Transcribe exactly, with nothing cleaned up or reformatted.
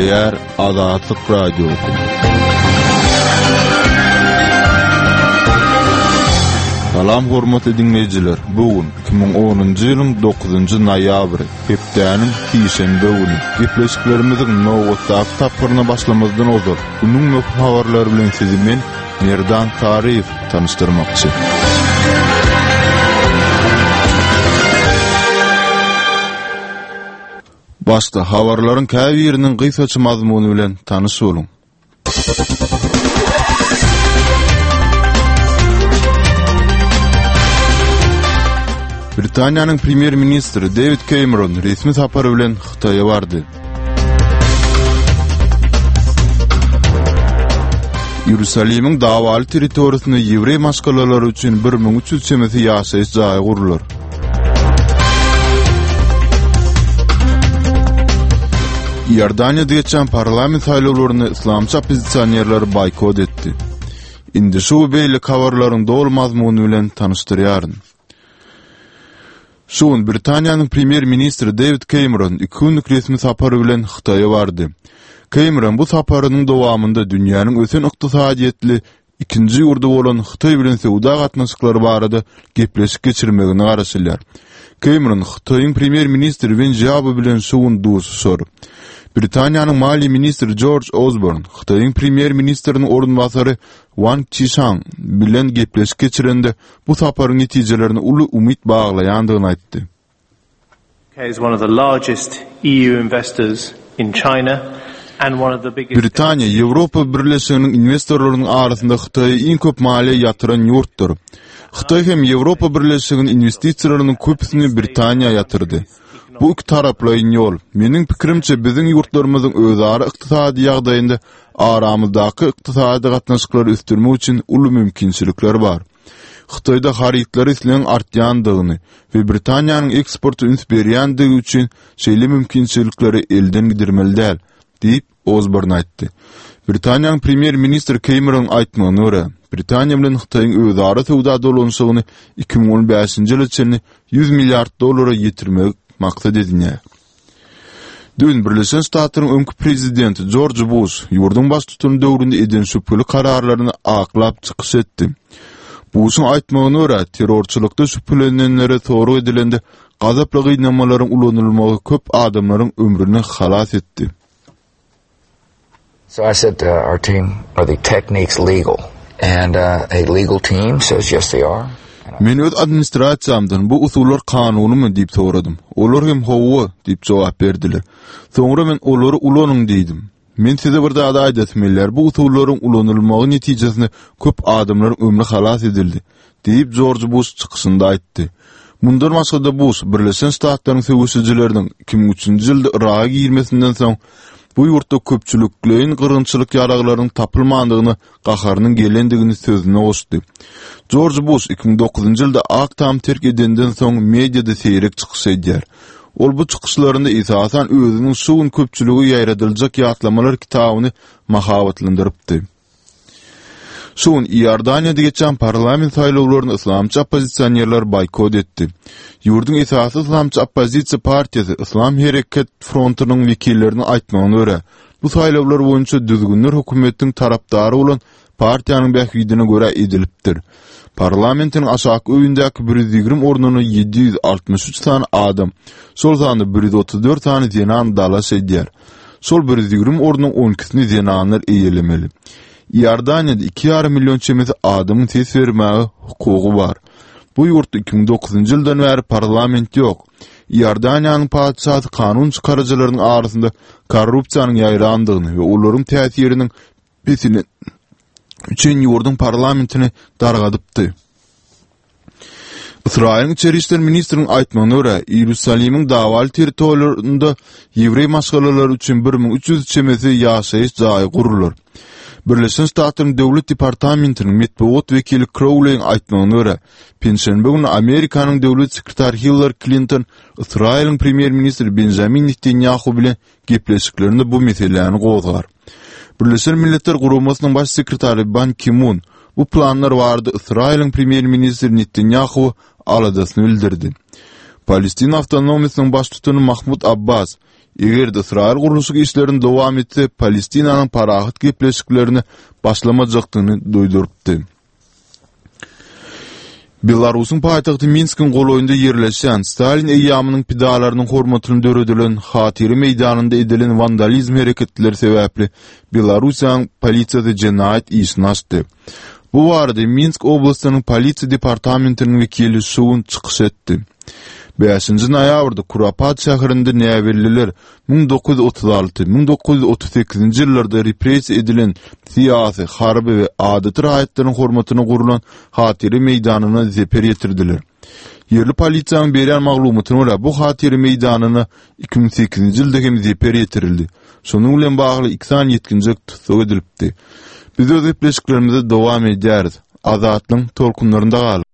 Gepleýär Azatlyk Radiosy. Salam hormatly diňleýjiler. Bu gün iki müň onunjy ýylyň dokuzynjy noýabry, hepdäniň sişenbe güni. Gepleşiklerimiziň nobatdaky tapgyryna başlamazdan ozal, günüň möhüm habarlary bilen sizi men, Merdan Saryýew tanyşdyrmakçy. Başda habarlaryň käbiriniň gysgaça mazmuny bilen tanyş boluň. Britaniýanyň premýer-ministri Dewid Kemeron resmi sapar bilen Hytaýa bardy. Iýerusalimiň dawaly territoriýasynda ýewreý maşgalalary üçin bir müň üç ýüz çemesi ýaşaýyş jaýy gurlar. Iordaniýada geçen parlament saýlawlaryny yslamçy oppozisionerler boýkot etdi. Indi şu we beýleki habarlaryň doly mazmuny bilen tanyşdyrýaryn. Şu gün Britaniýanyň premýer-ministri Dewid Kemeron iki günlük resmi sapar bilen Hytaýa bardy. Kemeron bu saparynyň dowamynda dünýäniň ösen ykdysadyýetli ikinji ýurdy bolan Hytaý bilen söwda gatnaşyklary barada gepleşik geçirmegine garaşylýar. Kemeron Hytaýyň premýer-ministri Wen Jiabo bilen şu gün duşuşar. Britaniýanyň maliýe ministri Jorj Osborn Hytaýyň premýer-ministriniň orunbasary Wang Qishan bilen gepleşik geçirende bu saparyň netijelerine uly umyt baglaýandygyny aýtdy. is one of the largest E U investors in China and one of the biggest Britaniýa Ýewropa Birleşiginiň investorlarynyň arasynda Hytaýa iň köp maliýe ýatyran ýurtdur. Hytaý hem Ýewropa Birleşiginiň investisiýalarynyň köpüsini Britaniýa ýatyrdy. Bu iki taraplaýyn ýol. Meniň pikirimçe biziň ýurtlarymyzyň özara ykdysady ýagdaýynda aramyzdaky ykdysady gatnaşyklary ösdürmek üçin uly mümkinçilikler bar. Hytaýda harytlary islegiň artýandygyny we Britaniýanyň eksporta üns berýändigi üçin şeýle mümkinçilikleri elden gidirmeli däl, diýip Osborn aýtdy. Britaniýanyň premýer-ministri Cameron aýtmagyna görä, Britaniýa bilen Hytaýyň özara söwda dolanyşygyny iki müň on bäşinji ýyla çenli ýüz milliard dollara ýetirmek maksat edinýär. Dün Birleşen Ştatlaryň öňki prezidenti Jorj Buş ýurduň baştutany döwründe eden şübheli kararlaryny aklap çykyş etdi. Buşuň aýtmagyna görä, terrorçylykda şübhelenenlere sorag edilende gazaply gynamalaryň ulanylmagy köp adamlaryň ömrüni halas etdi. So I said to our team, are the techniques legal? And, uh, a legal team says yes they are. Men öz administrasiýamdan bu usullar kanunymy diýip soradym. Olar hem hawa diýip jogap berdiler. Soňra men olary ulanyň diýdim. Men size bir zat aýdasym gelýär. Bu usullaryň ulanylmagy netijesinde köp adamlaryň ömri halas edildi, diýip Jorj Buş çykyşynda aýtdy. Mundan başga-da Buş Birleşen Ştatlaryň söweşijileriniň iki müň üçünji ýylda Yraga girmesinden soň bu ýurtda köpçülikleýin gyrgynçylyk ýaraglarynyň tapylmandygyna gaharynyň gelendigini sözüne goşdy. Jorj Buş iki müň dokuzynjy ýylda Ak Tam terk edenden soň mediada seýrek çykyş edýär. Ol bu çykyşlarynda esasan özüniň şu gün köpçülige ýaýradyljak ýatlamalar kitabyny mahabatlandyrypdy. Şu gün Iordaniýada geçen parlament saýlawlaryny yslamçy oppozisionerler boýkot etdi. Ýurduň esasy yslamçy oppozisiýa partiýasy Yslam Hereket frontunyň wekilleriniň aýtmagyna görä, bu saýlawlar boýunça düzgünler hökümetiň tarapdary bolan partiýanyň bähbidine görä edilipdir. Parlamentiň aşaky öýündäki bir ýüz ýigrimi ornuny ýedi ýüz altmyş üç sany adam, şol sanda bir ýüz otuz dört sany zenan dalaş edýär. Şol bir ýüz ýigrimi ornuň on ikisini zenanlar eýelemeli. Iordaniýada iki ýarym million çemesi adamyň ses bermäge hukugy bar. Bu ýurtda iki müň dokuzynjy ýyldan bäri parlament ýok. Iordaniýanyň patyşasy kanun çykaryjylarynyň arasynda korrupsiýanyň ýaýrandygyny we olaryň täsiriniň pesini üçin ýurduň parlamentini dargadypdy. Ysraýylyň içeri işler ministriniň aýtmagyna görä, Iýerusalimiň dawaly territoriýalarynda ýewreý maşgalalary üçin bir müň üç ýüz çemesi ýaşaýyş jaýy gurular. Birleşen Ştatlaryň Döwlet departamentiniň metbugat wekili Crowley'iň aýtmagyna görä, penşenbe güni Amerikanyň döwlet sekretary Hillary Klinton Ysraýylyň premýer-ministri Benjamin Netanýahu bilen gepleşiklerinde bu meseläni gozgar. Birleşen Milletler Guramasynyň baş sekretary Ban Ki-mun bu planlar barada Ysraýylyň premýer-ministri Netanýahu aladasyny bildirdi. Palestina awtonomiýasynyň baştutany Mahmud Abbas Eger-de Ysraýyl gurluşyk işlerini dowam etse, Palestinanyň parahat gepleşiklerini başlamajakdygyny duýdurypdy. Belarusyň paýtagty Minskiň golaýynda ýerleşýän Stalin eýýamynyň pidalarynyň hormatyna döredilen Hatyra meýdanynda edilen wandalizm hereketleri sebäpli Belarusiýanyň polisiýasy jenaýat işini açdy. Bu barada Minsk oblastynyň polisiýa departamentiniň wekili şu gün çykyş etdi. Bäşinji noýabrda Kurapat şäherinde näbelliler müň dokuz ýüz otuz alty, müň dokuz ýüz otuz sekizinji ýyllarda repressiýa edilen syýasy, harby we adaty raýatlaryň hormatyna gurlan Hatyra meýdanyna zeper ýetirdiler. Ýerli polisiýanyň berýän maglumatyna görä, bu Hatyra meýdanyna iki müň sekizinji ýylda hem zeper ýetirildi. Şonuň bilen bagly iki sany ýetginjek tussag edilipdi. Biz öz gepleşiklerimizi dowam edýäris. Azatlygyň tolkunlarynda galyň!